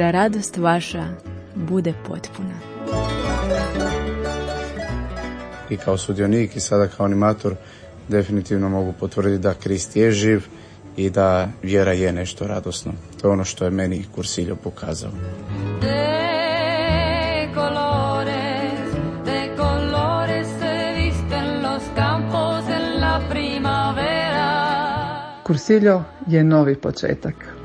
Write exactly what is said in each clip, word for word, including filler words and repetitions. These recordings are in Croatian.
da radost vaša bude potpuna. I kao sudionik i sada kao animator definitivno mogu potvrditi da Krist je živ i da vjera je nešto radosno. To je ono što je meni Cursillo pokazao. Cursillo je novi početak.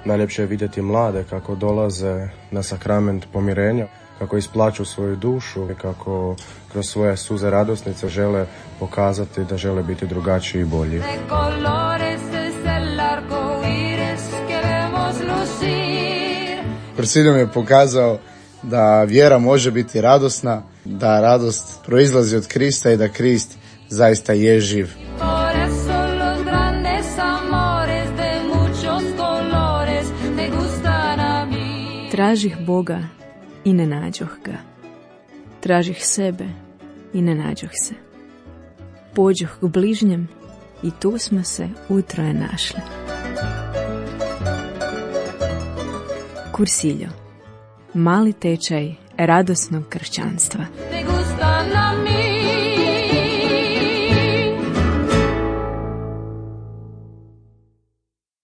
Najljepše je vidjeti mlade kako dolaze na sakrament pomirenja, kako isplaću svoju dušu i kako kroz svoje suze radosnice žele pokazati da žele biti drugačiji i bolji. Cursillo mi je pokazao da vjera može biti radosna, da radost proizlazi od Krista i da Krist zaista je živ. Tražih Boga i ne nađoh ga. Tražih sebe i ne nađoh se. Pođoh k bližnjem i tu smo se utroje našli. Cursillo. Mali tečaj radosnog kršćanstva.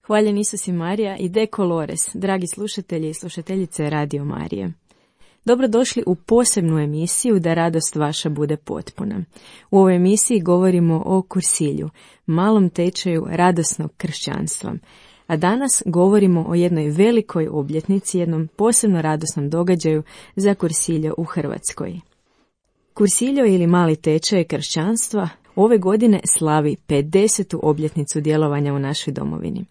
Hvaljen Isus i Marija i De Colores, dragi slušatelji i slušateljice Radio Marije. Dobrodošli u posebnu emisiju Da radost vaša bude potpuna. U ovoj emisiji govorimo o Cursillu, malom tečaju radosnog kršćanstva. A danas govorimo o jednoj velikoj obljetnici, jednom posebno radosnom događaju za Cursillo u Hrvatskoj. Cursillo ili mali tečaj kršćanstva ove godine slavi pedesetu obljetnicu djelovanja u našoj domovini.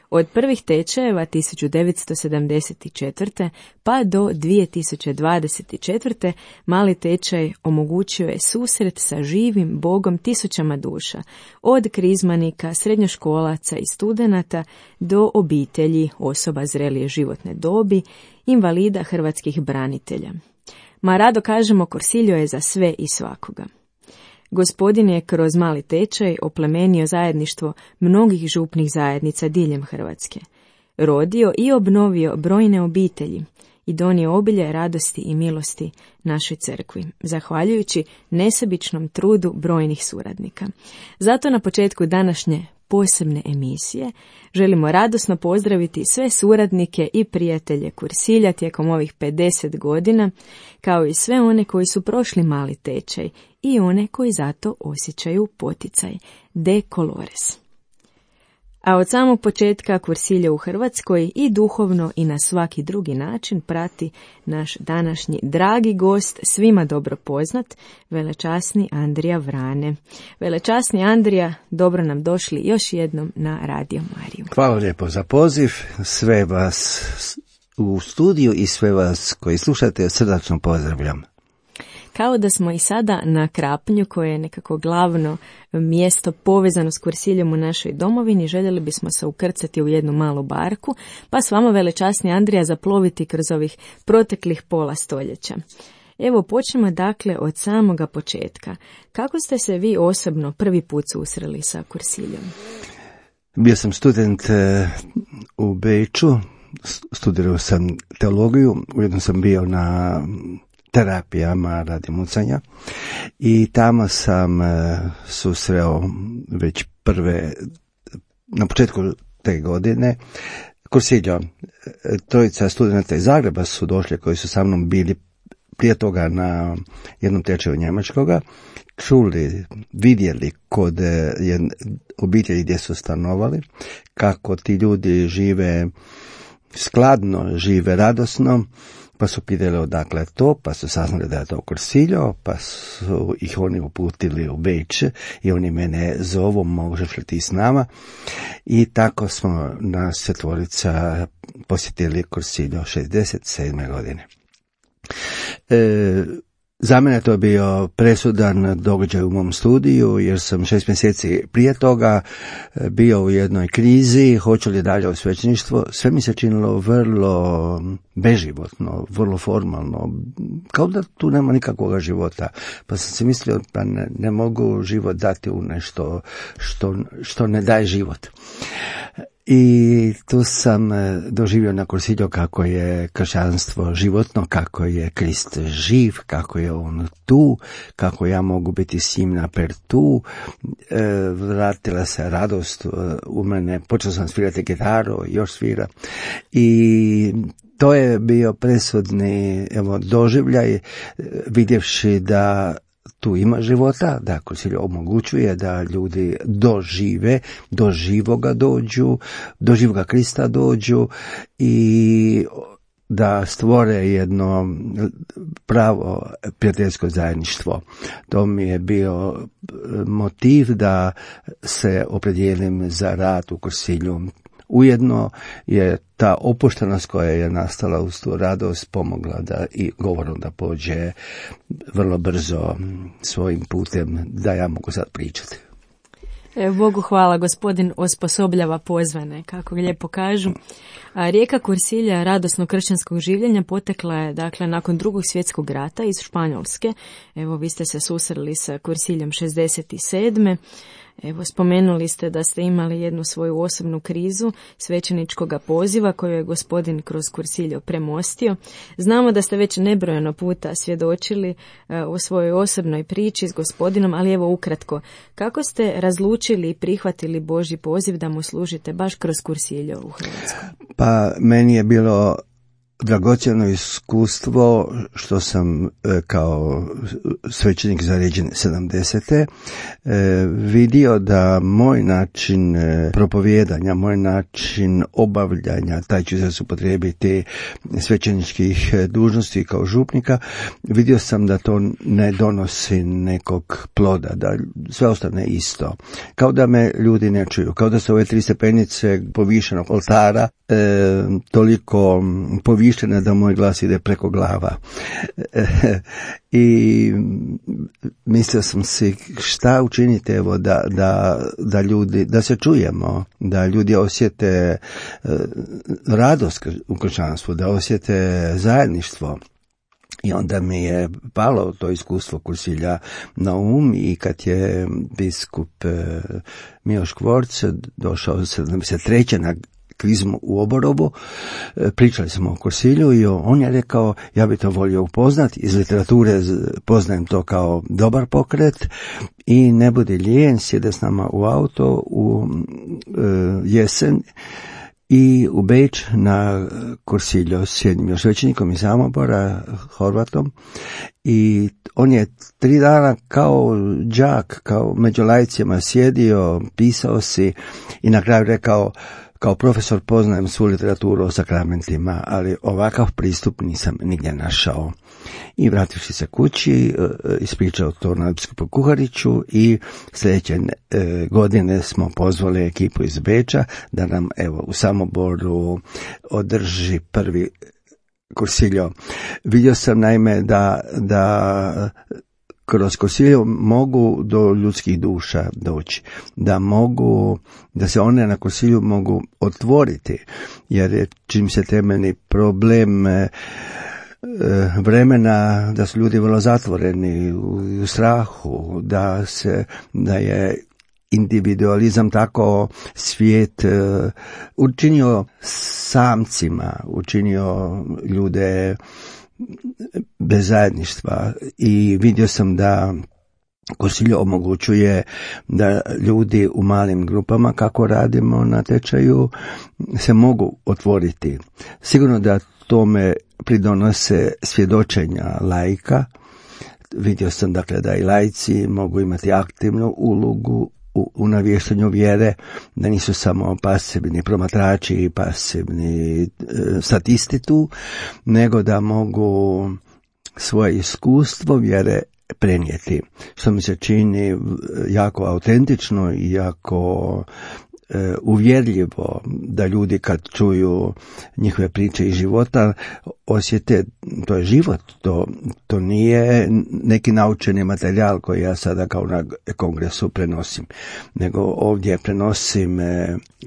Od prvih tečajeva tisuću devetsto sedamdeset četvrte pa do dvije tisuće dvadeset četvrte mali tečaj omogućio je susret sa živim Bogom tisućama duša, od krizmanika, srednjoškolaca i studenata do obitelji, osoba zrelije životne dobi, invalida, hrvatskih branitelja. Ma rado kažemo, Cursillo je za sve i svakoga. Gospodin je kroz mali tečaj oplemenio zajedništvo mnogih župnih zajednica diljem Hrvatske. Rodio i obnovio brojne obitelji i donio obilje radosti i milosti našoj crkvi, zahvaljujući nesebičnom trudu brojnih suradnika. Zato na početku današnje posebne emisije želimo radosno pozdraviti sve suradnike i prijatelje Cursilja tijekom ovih pedeset godina, kao i sve one koji su prošli mali tečaj i one koji zato osjećaju poticaj. De Colores. A od samog početka Cursillo u Hrvatskoj i duhovno i na svaki drugi način prati naš današnji dragi gost, svima dobro poznat, velečasni Andrija Vrane. Velečasni Andrija, dobro nam došli još jednom na Radio Mariju. Hvala lijepo za poziv, sve vas u studiju i sve vas koji slušate srdačno pozdravljam. Kao da smo i sada na Krapnju, koje je nekako glavno mjesto povezano s Cursilljom u našoj domovini, željeli bismo se ukrcati u jednu malu barku, pa s vama, velečasni Andrija, zaploviti kroz ovih proteklih pola stoljeća. Evo, počnemo dakle od samoga početka. Kako ste se vi osobno prvi put susreli sa Cursilljom? Bio sam student u Beču, studirao sam teologiju, ujedno sam bio na terapijama radi mucanja i tamo sam e, susreo već prve, na početku te godine, Cursillo. Trojica studenta iz Zagreba su došli, koji su sa mnom bili prije toga na jednom tečaju njemačkoga, čuli, vidjeli kod je, obitelji gdje su stanovali, kako ti ljudi žive skladno, žive radosno, pa su pitali odakle to, pa su saznali da je to Cursillo, pa su ih oni uputili u Beč i oni mene zovu, možeš li ti s nama? I tako smo nas četvorica posjetili Cursillo šezdeset sedme godine. E, Za mene to je bio presudan događaj u mom studiju, jer sam šest mjeseci prije toga bio u jednoj krizi, hoću li dalje u svećeništvo. Sve mi se činilo vrlo beživotno, vrlo formalno, kao da tu nema nikakvog života. Pa sam si mislio, pa ne, ne mogu život dati u nešto što, što ne daje život. I tu sam doživio na Kursilju kako je kršćanstvo životno, kako je Krist živ, kako je on tu, kako ja mogu biti s njim naper tu. E, vratila se radost u mene, počeo sam svirati gitaru, još svira. I to je bio presudni evo, doživljaj, vidjevši da tu ima života, da Kursilj omogućuje da ljudi dožive, do živoga dođu, do živoga Krista dođu i da stvore jedno pravo prijateljsko zajedništvo. To mi je bio motiv da se opredijelim za rad u Kursilju. Ujedno je ta opuštenost koja je nastala uz tu radost pomogla da i govorom da pođe vrlo brzo svojim putem da ja mogu sad pričati. Evo, Bogu hvala, gospodin osposobljava pozvane, kako lijepo kažu. A rijeka Kursilja radosno kršćanskog življenja potekla je, dakle, nakon drugog svjetskog rata iz Španjolske. Evo, vi ste se susreli sa Kursiljem šezdeset sedme. Evo, spomenuli ste da ste imali jednu svoju osobnu krizu svećeničkog poziva koju je gospodin kroz Kursiljo premostio. Znamo da ste već nebrojeno puta svjedočili uh, o svojoj osobnoj priči s gospodinom, ali evo ukratko, kako ste razlučili i prihvatili Božji poziv da mu služite baš kroz Kursiljo u Hrvatskoj? Pa meni je bilo dragocjeno iskustvo što sam e, kao svećenik zaređen sedamdesete E, vidio da moj način e, propovijedanja, moj način obavljanja, taj ću se upotrijebiti svećeničkih dužnosti kao župnika, vidio sam da to ne donosi nekog ploda, da sve ostane isto. Kao da me ljudi ne čuju, kao da su ove tri stepenice povišenog oltara e, toliko povišene da moj glas ide preko glava. E, I mislio sam si šta učiniti evo da, da, da ljudi, da se čujemo, da ljudi osjete e, radost u kršćanstvu, da osjete zajedništvo. I onda mi je palo to iskustvo Kursilja na um i kad je biskup e, Miloš Kvorc došao sedamdeset treće na kvizmu u Oborovu, pričali smo o Kursilju i on je rekao, ja bi to volio upoznati, iz literature poznajem to kao dobar pokret i ne budi lijen, sjede s nama u auto u e, jesen i u Beč na Kursilju s jednim još svećenikom iz Samobora, Horvatom, i on je tri dana kao đak, kao među laicima sjedio, pisao si i na kraju rekao, kao profesor poznajem svu literaturu o sakramentima, ali ovakav pristup nisam nigdje našao. I vrativši se kući, ispričao to na biskupu Kuhariću i sljedeće godine smo pozvali ekipu iz Beča da nam evo u Samoboru održi prvi Kursiljo. Vidio sam naime da, da kroz Kursilju mogu do ljudskih duša doći, da mogu, da se one na Kursilju mogu otvoriti, jer je čim se temeljni problem e, vremena da su ljudi vrlo zatvoreni u, u strahu, da se, da je individualizam tako svijet e, učinio samcima, učinio ljude bez zajedništva i vidio sam da Kursilj omogućuje da ljudi u malim grupama, kako radimo na tečaju, se mogu otvoriti. Sigurno da tome pridonose svjedočenja laika. Vidio sam dakle da i laici mogu imati aktivnu ulogu u, u navještanju vjere, da nisu samo pasivni promatrači i pasivni e, statisti tu, nego da mogu svoje iskustvo vjere prenijeti, što mi se čini jako autentično i jako uvjerljivo, da ljudi kad čuju njihove priče iz života osjete, to je život, to, to nije neki naučeni materijal koji ja sada kao na kongresu prenosim, nego ovdje prenosim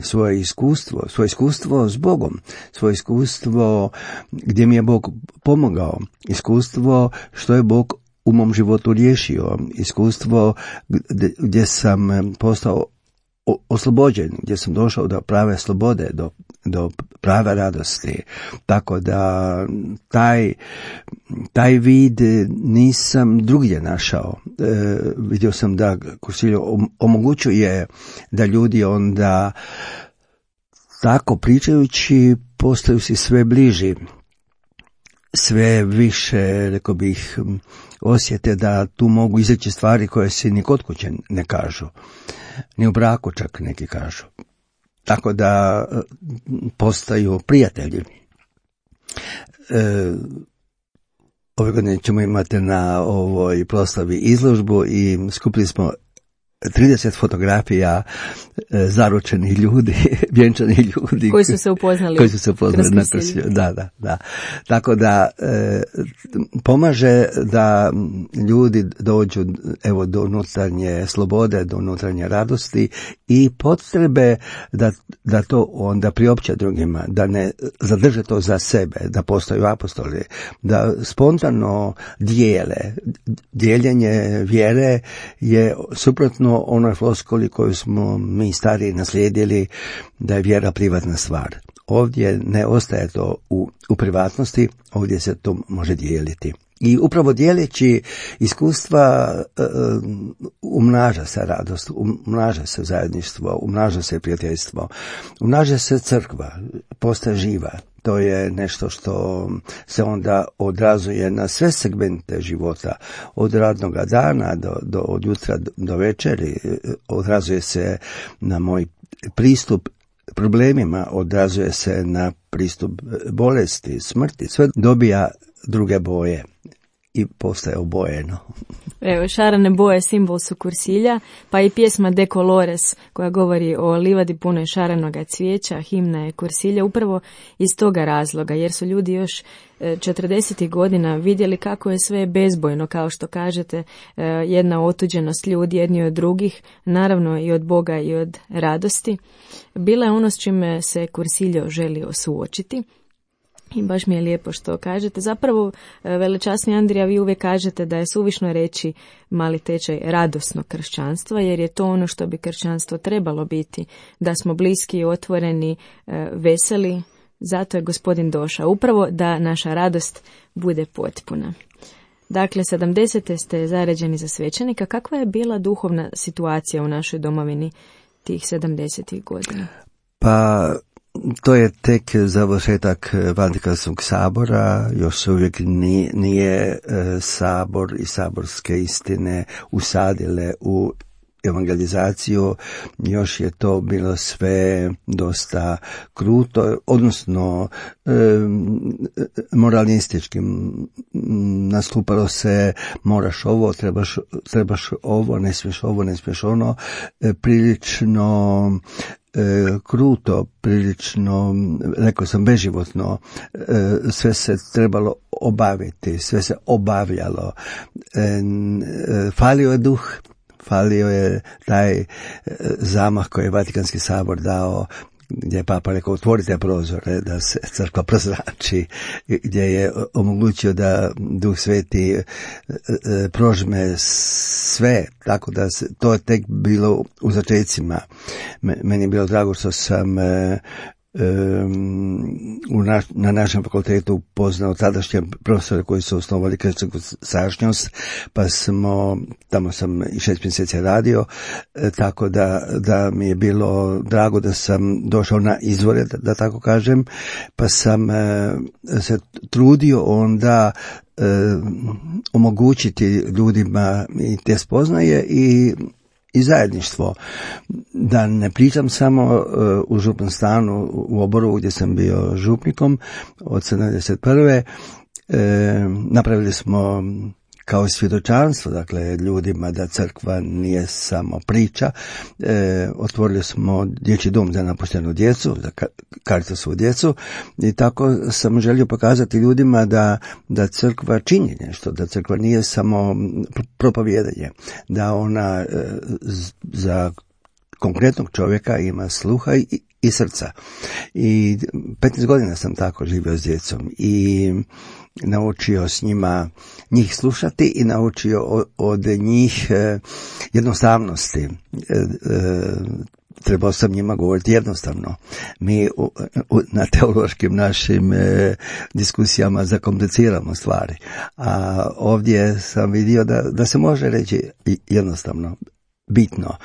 svoje iskustvo, svoje iskustvo s Bogom, svoje iskustvo gdje mi je Bog pomogao, iskustvo što je Bog u mom životu riješio, iskustvo gdje sam postao oslobođen, gdje sam došao do prave slobode, do, do prave radosti. Tako da taj, taj vid nisam drugdje našao. E, vidio sam da Cursillo omogućuje da ljudi onda tako pričajući postaju si sve bliži, sve više, rekao bih, osjete da tu mogu izreći stvari koje se ni kod kuće ne kažu. Ni u braku čak neki kažu. Tako da postaju prijatelji. E, ove godine ćemo imati na ovoj proslavi izložbu i skupili smo trideset fotografija e, zaručenih ljudi, vjenčanih ljudi. Koji su se upoznali. Koji su se upoznali na Cursillo. Da, da, da. Tako da e, pomaže da ljudi dođu evo do unutarnje slobode, do unutarnje radosti i potrebe da, da to onda priopće drugima, da ne zadrže to za sebe, da postaju apostoli, da spontano dijele. Dijeljenje vjere je suprotno onoj floskuli koju smo mi stariji naslijedili, da je vjera privatna stvar. Ovdje ne ostaje to u, u privatnosti, ovdje se to može dijeliti. I upravo dijeleći iskustva um, umnaža se radost, umnaža se zajedništvo, umnaža se prijateljstvo, umnaža se crkva, postaje živa. To je nešto što se onda odrazuje na sve segmente života, od radnog dana do, do, od jutra do večeri, odrazuje se na moj pristup problemima, odrazuje se na pristup bolesti, smrti, sve dobija druge boje i postaje obojeno. Evo, šarene boje simbol su Cursilja, pa i pjesma De Colores koja govori o livadi punoj šarenoga cvijeća, himna je Cursilja upravo iz toga razloga, jer su ljudi još četrdesetih godina vidjeli kako je sve bezbojno, kao što kažete, jedna otuđenost ljudi jedni od drugih, naravno i od Boga i od radosti. Bila je ono s čime se Cursillo želio suočiti. I baš mi je lijepo što kažete. Zapravo, velečasni Andrija, vi uvijek kažete da je suvišno reći mali tečaj radosnog kršćanstva, jer je to ono što bi kršćanstvo trebalo biti, da smo bliski, otvoreni, veseli. Zato je Gospodin došao, upravo da naša radost bude potpuna. Dakle, sedamdesete ste zaređeni za svećenika. Kakva je bila duhovna situacija u našoj domovini tih sedamdesetih godina? Pa... To je tek završetak Vatikanskog sabora, još se uvijek nije, nije sabor i saborske istine usadile u evangelizaciju, još je to bilo sve dosta kruto, odnosno e, moralistički. Nastupalo se moraš ovo, trebaš, trebaš ovo, ne smiješ ovo, ne smiješ ono, e, prilično E, kruto, prilično, rekao sam, beživotno, e, sve se trebalo obaviti, sve se obavljalo. E, e, falio je duh, falio je taj e, zamah koji je Vatikanski sabor dao, gdje je Papa rekao otvorite prozore da se crkva prozrači, gdje je omogućio da Duh Sveti prožme sve, tako da se, to je tek bilo u začecima. Meni je bilo drago što sam u naš, na našem fakultetu poznao tadašnje profesore koji su osnovali kršćansku sadašnjost, pa smo, tamo sam i šest mjeseci radio, tako da, da mi je bilo drago da sam došao na izvore, da, da tako kažem, pa sam se trudio onda e, omogućiti ljudima i te spoznaje i i zajedništvo. Da ne pričam samo uh, u župnom stanu u Oborovu gdje sam bio župnikom od sedamdeset prve. E, napravili smo kao svjedočanstvo, dakle, ljudima da crkva nije samo priča. E, otvorili smo dječji dom za napuštenu djecu, za Caritasovu djecu, i tako sam želio pokazati ljudima da, da crkva čini nešto, da crkva nije samo propovijedanje, da ona e, za konkretnog čovjeka ima sluha i, i srca. I petnaest godina sam tako živio s djecom i naučio s njima njih slušati i naučio od, od njih e, jednostavnosti. E, e, trebao sam njima govoriti jednostavno. Mi u, u, na teološkim našim e, diskusijama zakompliciramo stvari. A ovdje sam vidio da, da se može reći jednostavno, bitno.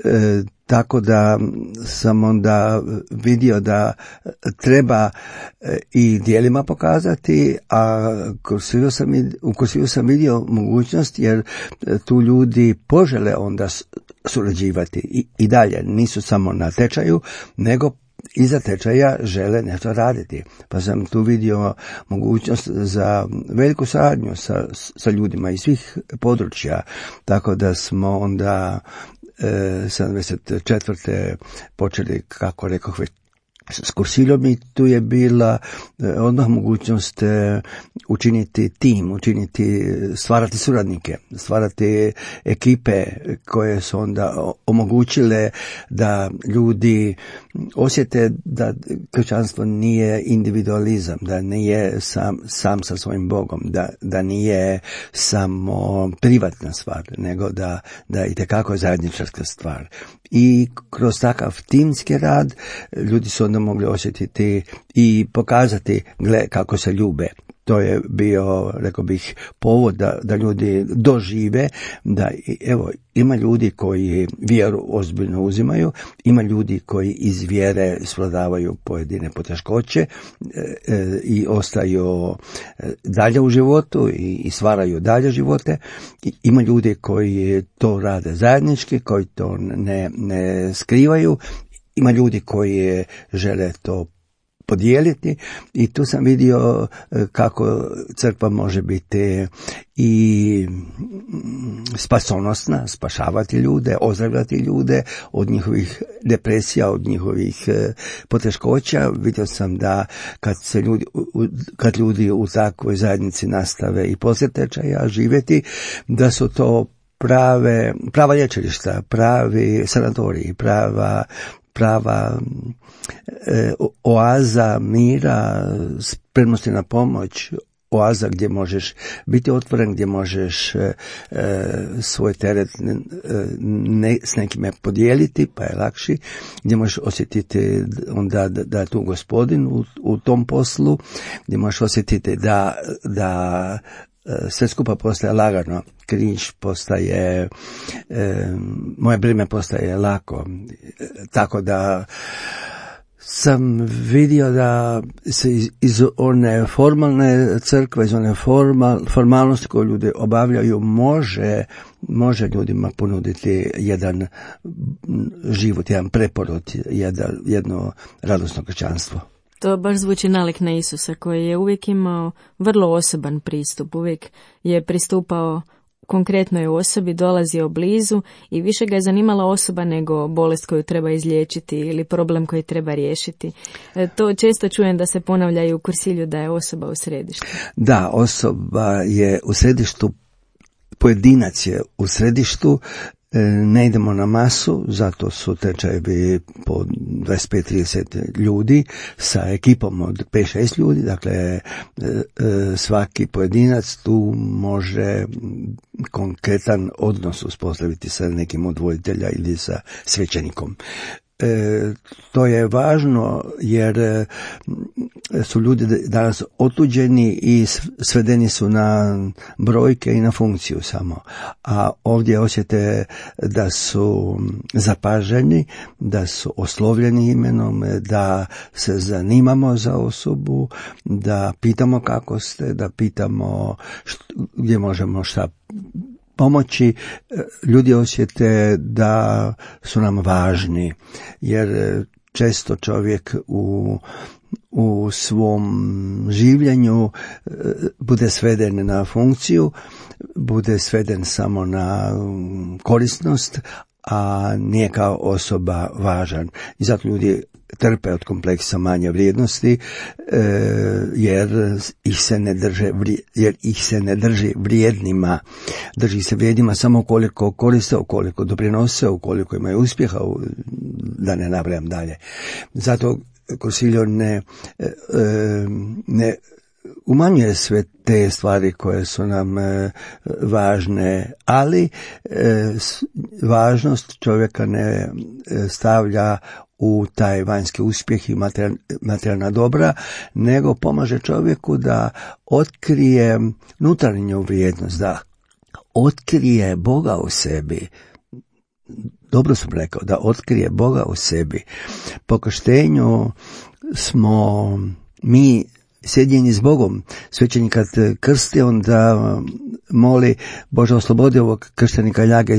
E, tako da sam onda vidio da treba i djelima pokazati, a Kursiliju sam, u Kursiliju sam vidio mogućnost, jer tu ljudi požele onda surađivati i, i dalje. Nisu samo na tečaju, nego iza tečaja žele nešto raditi. Pa sam tu vidio mogućnost za veliku saradnju sa, sa ljudima iz svih područja. Tako da smo onda e, sedamdeset četvrte počeli, kako rekoh, već s Kursiljom, i tu je bila e, odmah mogućnost e, učiniti tim, učiniti, stvarati suradnike, stvarati ekipe koje su onda omogućile da ljudi osjete da kršćanstvo nije individualizam, da nije sam, sam sa svojim Bogom, da, da nije samo privatna stvar, nego da, da itekako je zajedničarska stvar. I kroz takav timski rad ljudi su onda mogli osjetiti i pokazati, gle, kako se ljube. To je bio, rekao bih, povod da, da ljudi dožive da, evo, ima ljudi koji vjeru ozbiljno uzimaju, ima ljudi koji iz vjere svladavaju pojedine poteškoće e, e, i ostaju dalje u životu i, i stvaraju dalje živote. I, ima ljudi koji to rade zajednički, koji to ne, ne skrivaju, ima ljudi koji žele to podijeliti, i tu sam vidio kako crkva može biti i spasonosna, spašavati ljude, ozdravljati ljude od njihovih depresija, od njihovih poteškoća. Vidio sam da kad se ljudi, kad ljudi u takvoj zajednici nastave i poslije tečaja živjeti, da su to prave, prava lječilišta, pravi sanatoriji, prava prava e, oaza mira, spremnosti na pomoć, oaza gdje možeš biti otvoren, gdje možeš e, svoj teret e, ne, s nekime podijeliti, pa je lakši, gdje možeš osjetiti onda da, da je tu Gospodin u, u tom poslu, gdje možeš osjetiti da, da sve skupa postaje lagano, križ postaje, e, moje breme postaje lako, e, tako da sam vidio da se iz, iz one formalne crkve, iz one formal, formalnosti koje ljudi obavljaju, može, može ljudima ponuditi jedan život, jedan preporod, jedan, jedno radosno kršćanstvo. To baš zvuči nalik na Isusa, koji je uvijek imao vrlo osoban pristup, uvijek je pristupao konkretnoj osobi, dolazio blizu i više ga je zanimala osoba nego bolest koju treba izliječiti ili problem koji treba riješiti. To često čujem da se ponavlja i u Kursilju, da je osoba u središtu. Da, osoba je u središtu, pojedinac je u središtu. Ne idemo na masu, zato su tečajevi po dvadeset pet do trideset ljudi sa ekipom od pet šest ljudi, dakle svaki pojedinac tu može konkretan odnos uspostaviti sa nekim od voditelja ili sa svećenikom. E, to je važno jer e, su ljudi danas otuđeni i svedeni su na brojke i na funkciju samo. A ovdje osjete da su zapaženi, da su oslovljeni imenom, da se zanimamo za osobu, da pitamo kako ste, da pitamo što, gdje možemo šta pomoći. Ljudi osjete da su nam važni, jer često čovjek u u svom življenju bude sveden na funkciju, bude sveden samo na korisnost, a nije kao osoba važan. I zato ljudi trpe od kompleksa manje vrijednosti, jer ih se ne drže, jer ih se ne drži vrijednima. Drži se vrijednima samo ukoliko koriste, ukoliko doprinose, ukoliko imaju uspjeha, da ne nabrajam dalje. Zato Cursillo ne, ne umanjuje sve te stvari koje su nam važne, ali važnost čovjeka ne stavlja u taj vanjski uspjeh i materijalna dobra, nego pomaže čovjeku da otkrije unutarnju vrijednost, da otkrije Boga u sebi. Dobro sam rekao, da otkrije Boga u sebi. Po krštenju smo mi sjedinjeni s Bogom. Svećenik kad krsti, onda moli Bože, oslobodi ovog krštenika ljage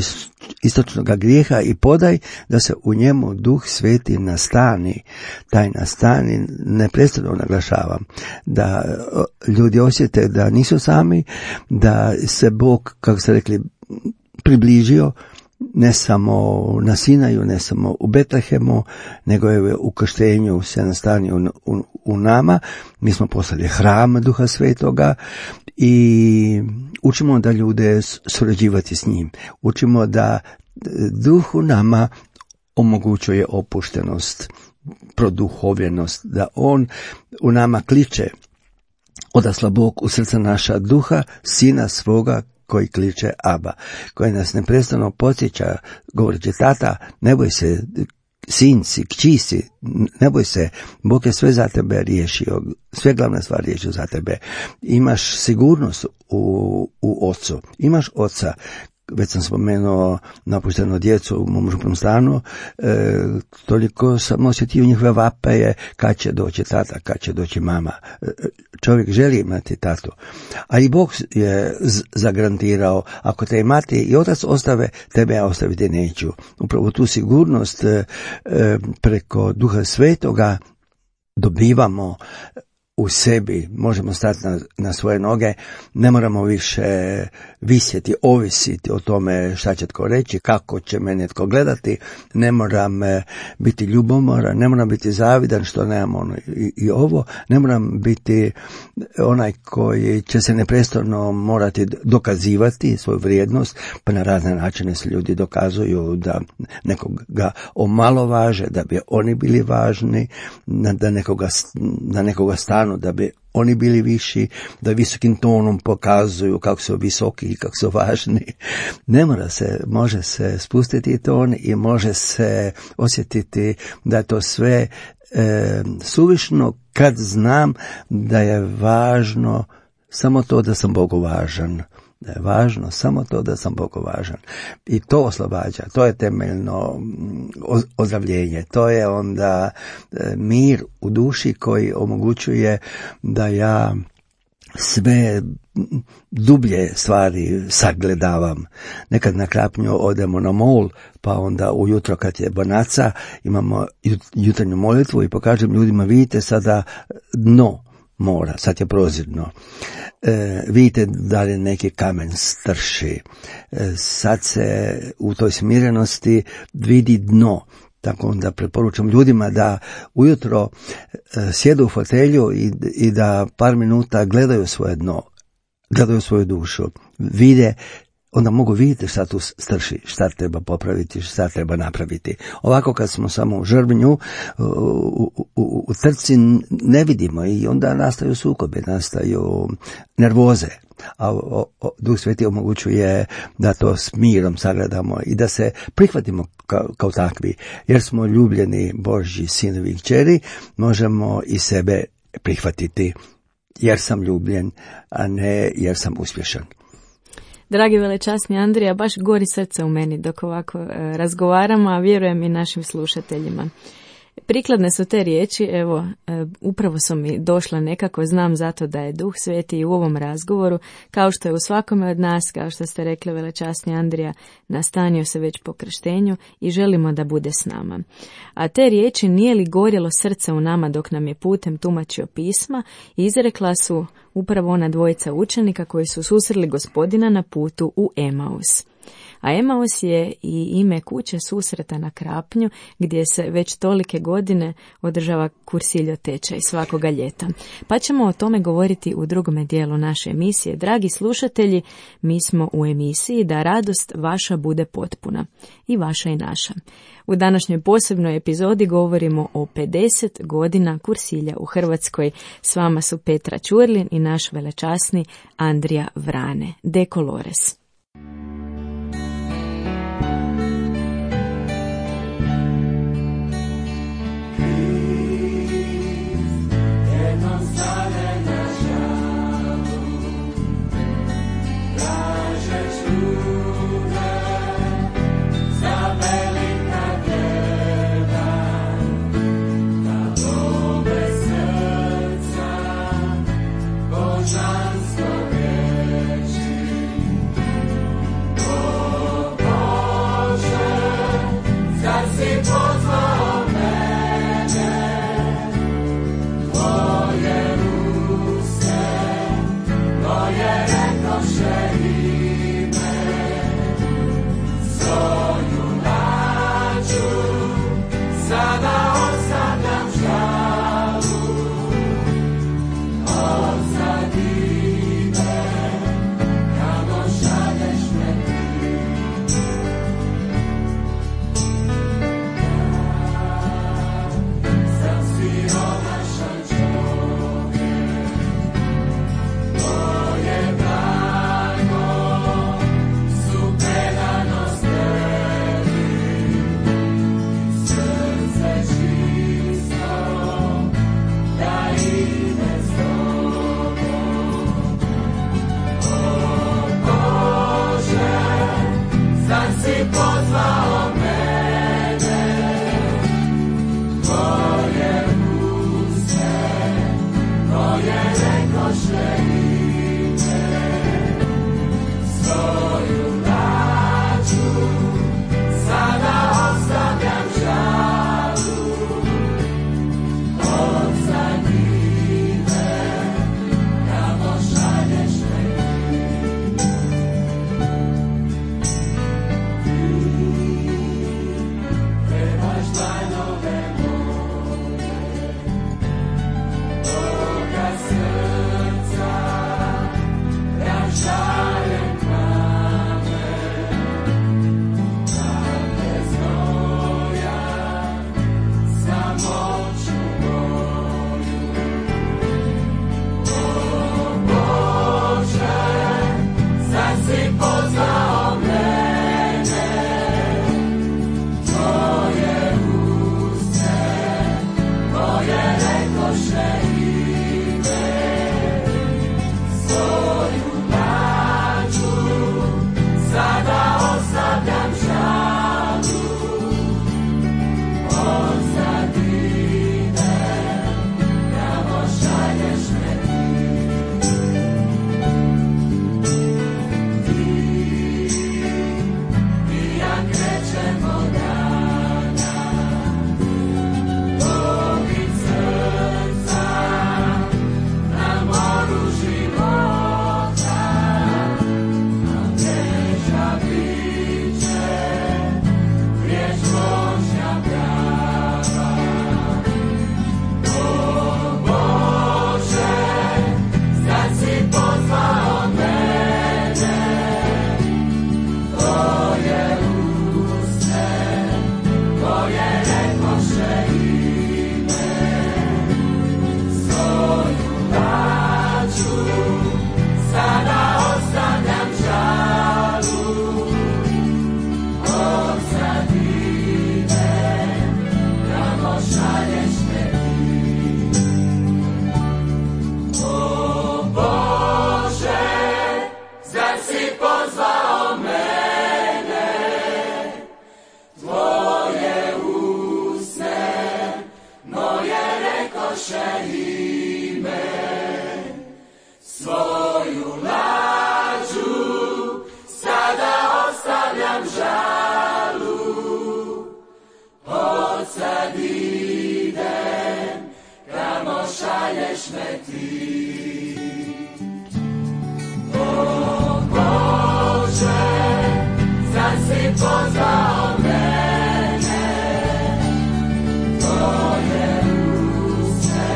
istočnog grijeha i podaj da se u njemu Duh Sveti nastani. Taj nastani, neprestano naglašavam, da ljudi osjete da nisu sami, da se Bog, kako ste rekli, približio, ne samo na Sinaju, ne samo u Betlehemu, nego je u krštenju se nastanio u, u, u nama. Mi smo postali hram Duha Svetoga i učimo da ljude surađivati s njim. Učimo da Duh u nama omogućuje opuštenost, produhovljenost, da on u nama kliče, odasla Bog u srca naša duha, Sina svoga koji kliče Aba, koji nas neprestano podsjeća, govoreći, tata, ne boj se, sin si, kći si, ne boj se, Bog je sve za tebe riješio, sve glavne stvari riješio za tebe. Imaš sigurnost u, u ocu, imaš oca. Već sam spomenuo napušteno djecu u mom župnom stanu, e, toliko sam osjetio njihove vapaje, kad će doći tata, kad će doći mama. E, čovjek želi imati tatu. A i Bog je z- zagarantirao, ako te i mati i otac ostave, tebe ja ostaviti neću. Upravo tu sigurnost e, e, preko Duha Svetoga dobivamo u sebi, možemo stati na, na svoje noge, ne moramo više visjeti, ovisiti o tome šta će tko reći, kako će mene tko gledati, ne moram biti ljubomoran, ne moram biti zavidan što nemam ono i, i ovo, ne moram biti onaj koji će se neprestano morati dokazivati svoju vrijednost, pa na razne načine se ljudi dokazuju da nekoga omalovaže, da bi oni bili važni, da nekoga, da nekoga stanu, da bi oni bili viši, da visokim tonom pokazuju kako su visoki i kako su važni. Ne mora se, može se spustiti ton i može se osjetiti da je to sve e, suvišno kad znam da je važno samo to da sam Bogu važan. Da je važno samo to da sam Bogu važan. I to oslobađa, to je temeljno ozdravljenje, to je onda mir u duši koji omogućuje da ja sve dublje stvari sagledavam. Nekad na Krapnju odemo na mol, pa onda ujutro kad je bonaca imamo jutarnju molitvu i pokažem ljudima, vidite sada dno mora, sad je prozirno. E, vidite da li neki kamen strši. E, sad se u toj smirenosti vidi dno. Tako onda preporučam ljudima da ujutro e, sjedu u fotelju i, i da par minuta gledaju svoje dno, gledaju svoju dušu, vide, onda mogu vidjeti šta tu strši, šta treba popraviti, šta treba napraviti. Ovako kad smo samo u žrvnju, u, u, u, u trci ne vidimo i onda nastaju sukobe, nastaju nervoze. A o, o, Duh Sveti omogućuje da to s mirom sagledamo i da se prihvatimo kao, kao takvi. Jer smo ljubljeni Božji sinovi i kćeri, možemo i sebe prihvatiti jer sam ljubljen, a ne jer sam uspješan. Dragi velečasni Andrija, baš gori srce u meni dok ovako e, razgovaramo, a vjerujem i našim slušateljima. Prikladne su te riječi, evo, e, upravo su mi došla nekako, znam zato da je Duh Sveti i u ovom razgovoru, kao što je u svakome od nas, kao što ste rekli velečasni Andrija, nastanio se već po krštenju i želimo da bude s nama. A te riječi nije li gorjelo srce u nama dok nam je putem tumačio pisma, izrekla su upravo ona dvojica učenika koji su susreli Gospodina na putu u Emaus. A Emaus je i ime kuće susreta na Krapnju, gdje se već tolike godine održava kursiljo tečaj svakoga ljeta. Pa ćemo o tome govoriti u drugome dijelu naše emisije. Dragi slušatelji, mi smo u emisiji Da radost vaša bude potpuna. I vaša i naša. U današnjoj posebnoj epizodi govorimo o pedeset godina kursilja u Hrvatskoj. S vama su Petra Ćurlin i naš velečasni Andrija Vrane. De Colores. šalješ me ti. O Bože, sad si pozvao mene, tvoje uste,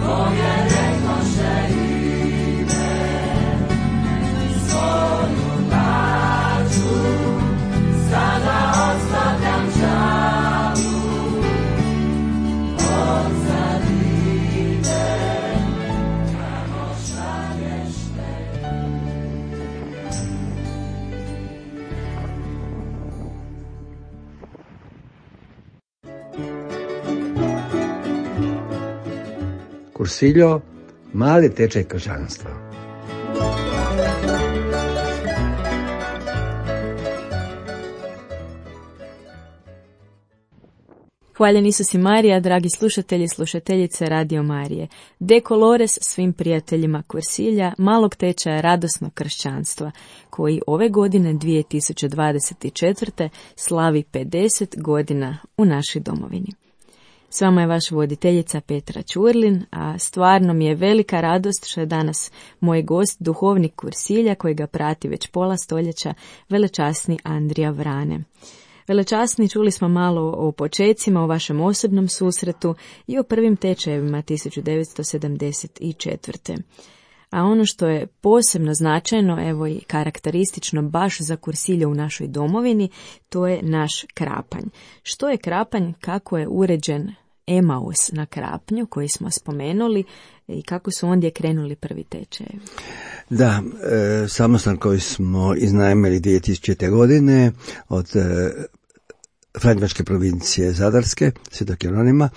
koje rekoše ime, svoju lađu, sada ostavljam žalu, odsad idem, kamo šalješ me. Cursillo, mali tečaj kršćanstva. Hvaljen Isus i Marija, dragi slušatelji i slušateljice Radio Marije. De Colores svim prijateljima Cursilja, malog tečaja radosnog kršćanstva, koji ove godine dvije tisuće dvadeset četvrte slavi pedeset godina u našoj domovini. S vama je vaša voditeljica Petra Ćurlin, a stvarno mi je velika radost što je danas moj gost, duhovnik Cursilja, koji ga prati već pola stoljeća, velečasni Andrija Vrane. Velečasni, čuli smo malo o počecima, o vašem osobnom susretu i o prvim tečajevima tisuću devetsto sedamdeset četvrte. A ono što je posebno značajno, evo i karakteristično baš za Cursilje u našoj domovini, to je naš krapanj. Što je krapanj, kako je uređen Emaus na Krapnju koji smo spomenuli i kako su ondje krenuli prvi tečajevi? Da, e, samostan koji smo iznajmili dvije tisućite. godine od e, Franjevačke provincije Zadarske, Svetog Jeronima,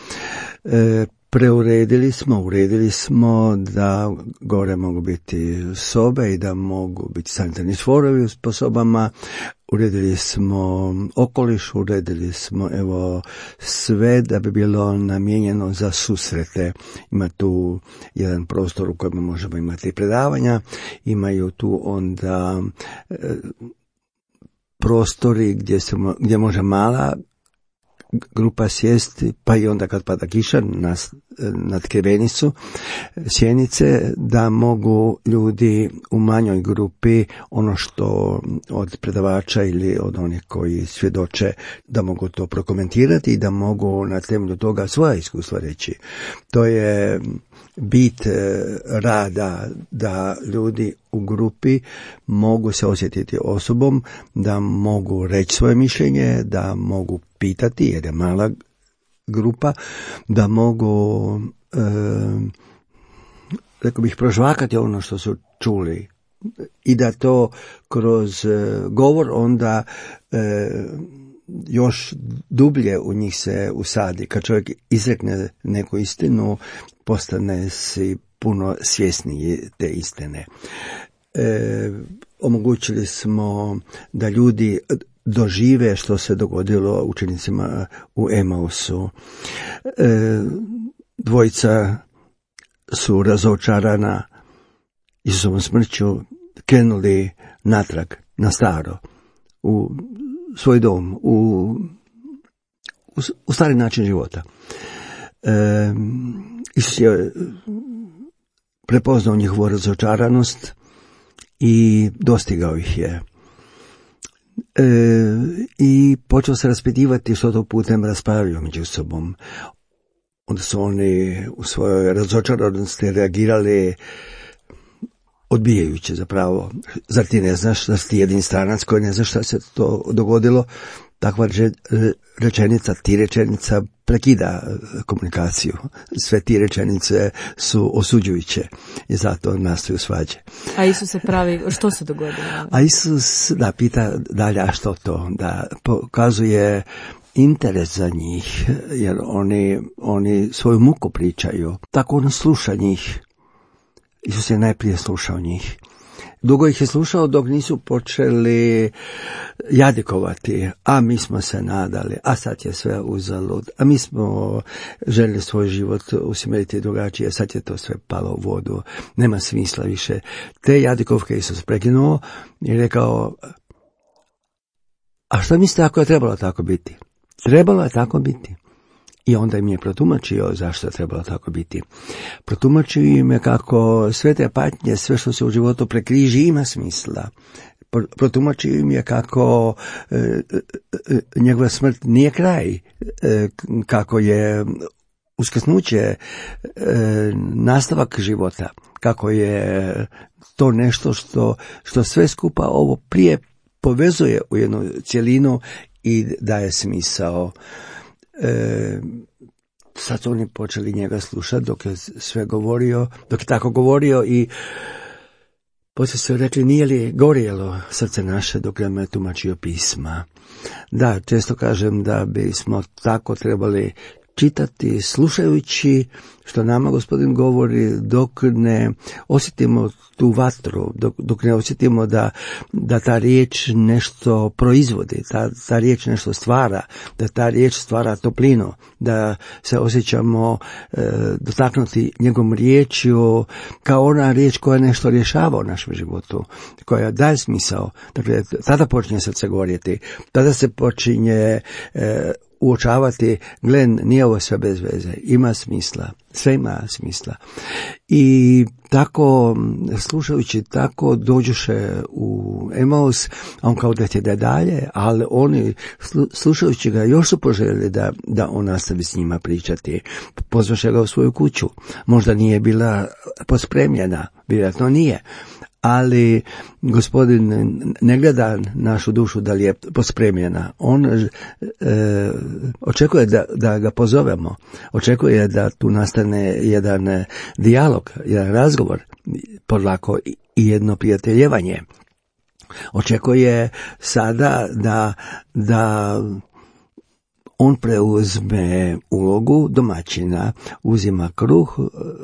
e, preuredili smo, uredili smo da gore mogu biti sobe i da mogu biti sanitarni čvorovi po sobama. Uredili smo okoliš, uredili smo evo sve da bi bilo namijenjeno za susrete. Ima tu jedan prostor u kojem možemo imati predavanja, imaju tu onda e, prostori gdje, se, gdje može mala grupa sjesti, pa i onda kad pada kiša na, na tkevenicu sjenice, da mogu ljudi u manjoj grupi ono što od predavača ili od onih koji svjedoče, da mogu to prokomentirati i da mogu na temelju toga svoja iskustva reći. To je bit rada, da ljudi u grupi mogu se osjetiti osobom, da mogu reći svoje mišljenje, da mogu pitati, jer je mala grupa, da mogu, e, rekao bih, prožvakati ono što su čuli i da to kroz e, govor onda e, još dublje u njih se usadi. Kad čovjek izrekne neku istinu, postane si puno svjesniji te istine. E, omogućili smo da ljudi dožive što se dogodilo učenicima u Emausu. E, dvojica su razočarana Isusovom smrću krenuli natrag na staro, u svoj dom, u, u, u stari način života. E, Isus je prepoznao njihovu razočaranost i dostigao ih je. E, I počeo se raspitivati što to putem raspravljaju među sobom. Onda su oni u svojoj razočaranosti reagirali odbijajuće zapravo. Zar ti ne znaš, zar ti jedin stranac koji ne znaš šta se to dogodilo? Takva rečenica, ti rečenica prekida komunikaciju. Sve ti rečenice su osuđujuće i zato nastaju svađe. A Isus se pravi, što se dogodilo? A Isus da pita dalje, a što to? Da pokazuje interes za njih, jer oni, oni svoju muku pričaju. Tako on sluša njih. Isus je najprije slušao njih. Dugo ih je slušao dok nisu počeli jadikovati, a mi smo se nadali, a sad je sve uzalud, a mi smo željeli svoj život usmjeriti drugačije, sad je to sve palo u vodu, nema smisla više. Te jadikovke Isus prekinuo i rekao, a što mislite ako je trebalo tako biti? Trebalo je tako biti. I onda im je protumačio zašto je trebalo tako biti. Protumačio im je kako sve te patnje, sve što se u životu prekriži ima smisla. Protumačio im je kako e, e, njegova smrt nije kraj, e, kako je uskrsnuće e, nastavak života, kako je to nešto što, što sve skupa ovo prije povezuje u jednu cjelinu i daje smisao. E, sad su oni počeli njega slušati dok je sve govorio, dok je tako govorio i poslije su rekli, nije li gorjelo srce naše dok nam je tumačio pisma. Da, često kažem da bismo tako trebali čitati, slušajući što nama Gospodin govori, dok ne osjetimo tu vatru, dok, dok ne osjetimo da, da ta riječ nešto proizvodi, ta, ta riječ nešto stvara, da ta riječ stvara toplinu, da se osjećamo e, dotaknuti njegovom riječju kao ona riječ koja nešto rješava u našem životu, koja daje smisao. Dakle, tada počinje srce gorjeti, tada se počinje e, uočavati, Glen, nije ovo sve bez veze, ima smisla, sve ima smisla. I tako, slušajući, tako dođuše u Emaus, a on kao da ide dalje, ali oni, slušajući ga, još su poželjeli da, da on nastavi s njima pričati. Pozvaše ga u svoju kuću. Možda nije bila pospremljena, vjerojatno nije. Ali Gospodin ne gleda našu dušu da li je pospremljena. On e, očekuje da, da ga pozovemo. Očekuje da tu nastane jedan dijalog, jedan razgovor, polako i jedno prijateljevanje. Očekuje sada da, da on preuzme ulogu domaćina, uzima kruh,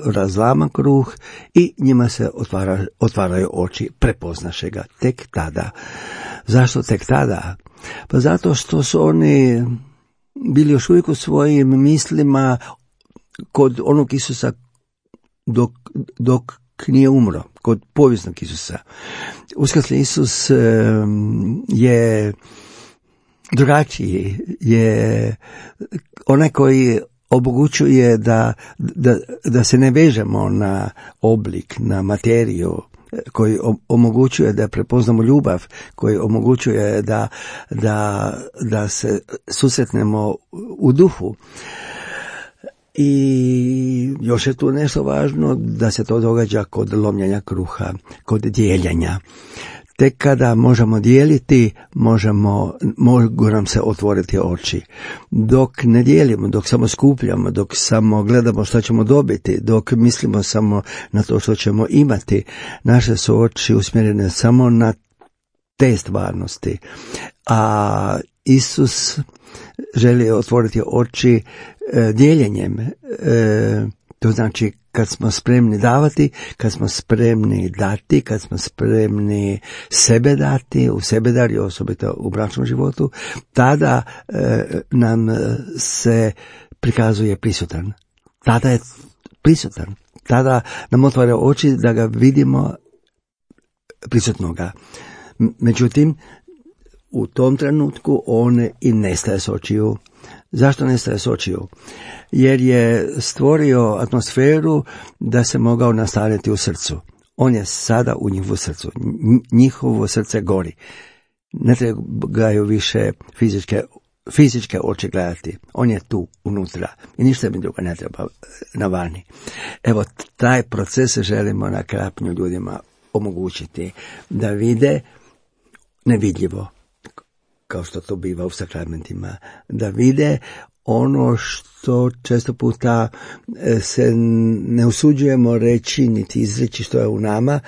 razlama kruh i njima se otvara, otvaraju oči, prepoznaše ga tek tada. Zašto tek tada? Pa zato što su oni bili još uvijek u svojim mislima kod onog Isusa dok, dok nije umro, kod povijesnog Isusa. Uskrsli Isus je drugačiji, je onaj koji omogućuje da, da, da se ne vežemo na oblik, na materiju, koji omogućuje da prepoznamo ljubav, koji omogućuje da, da, da se susretnemo u duhu. I još je tu nešto važno, da se to događa kod lomljenja kruha, kod dijeljenja. Tek kada možemo dijeliti, možemo, mogu nam se otvoriti oči. Dok ne dijelimo, dok samo skupljamo, dok samo gledamo što ćemo dobiti, dok mislimo samo na to što ćemo imati, naše su oči usmjerene samo na te stvarnosti. A Isus želi otvoriti oči e, dijeljenjem. E, to znači kad smo spremni davati, kad smo spremni dati, kad smo spremni sebe dati, u sebe dari, osobito u bračnom životu, tada e, nam se prikazuje prisutan. Tada je prisutan. Tada nam otvara oči da ga vidimo prisutnoga. Međutim, u tom trenutku on i nestaje s očiju. Zašto nestaje s očiju? Jer je stvorio atmosferu da se mogao nastaniti u srcu. On je sada u njihovu srcu. Njihovo srce gori. Ne trebaju više fizičke, fizičke oči gledati. On je tu, unutra. I ništa mi drugo ne treba na vani. Evo, taj proces želimo na Krapnju ljudima omogućiti. Da vide nevidljivo, kao što to biva u sakramentima, da vide ono što često puta se ne usuđujemo reći niti izreći što je u nama,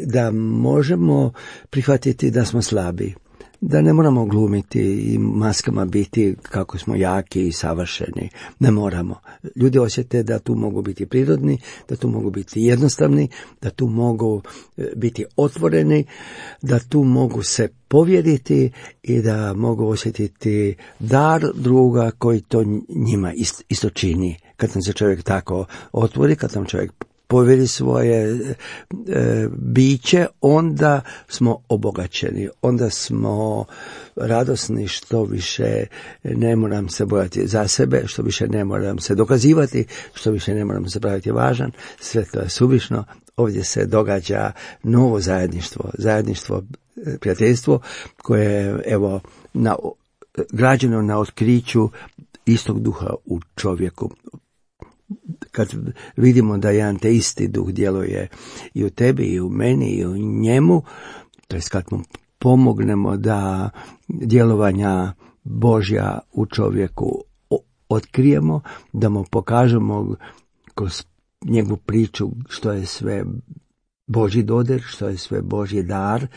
da možemo prihvatiti da smo slabi, da ne moramo glumiti i maskama biti kako smo jaki i savršeni. Ne moramo. Ljudi osjete da tu mogu biti prirodni, da tu mogu biti jednostavni, da tu mogu biti otvoreni, da tu mogu se povjeriti i da mogu osjetiti dar druga koji to njima isto čini. Kad nam se čovjek tako otvori, kad nam čovjek povjeri svoje e, biće, onda smo obogaćeni, onda smo radosni, što više ne moram se bojati za sebe, što više ne moram se dokazivati, što više ne moram se praviti važan, sve to je suvišno. Ovdje se događa novo zajedništvo, zajedništvo, prijateljstvo koje je evo na, građeno na otkriću istog duha u čovjeku. Kad vidimo da jedan te isti duh djeluje i u tebi, i u meni, i u njemu, to je kad mu pomognemo da djelovanja Božja u čovjeku otkrijemo, da mu pokažemo kroz njegovu priču što je sve Božji dodir, što je sve Božji dar,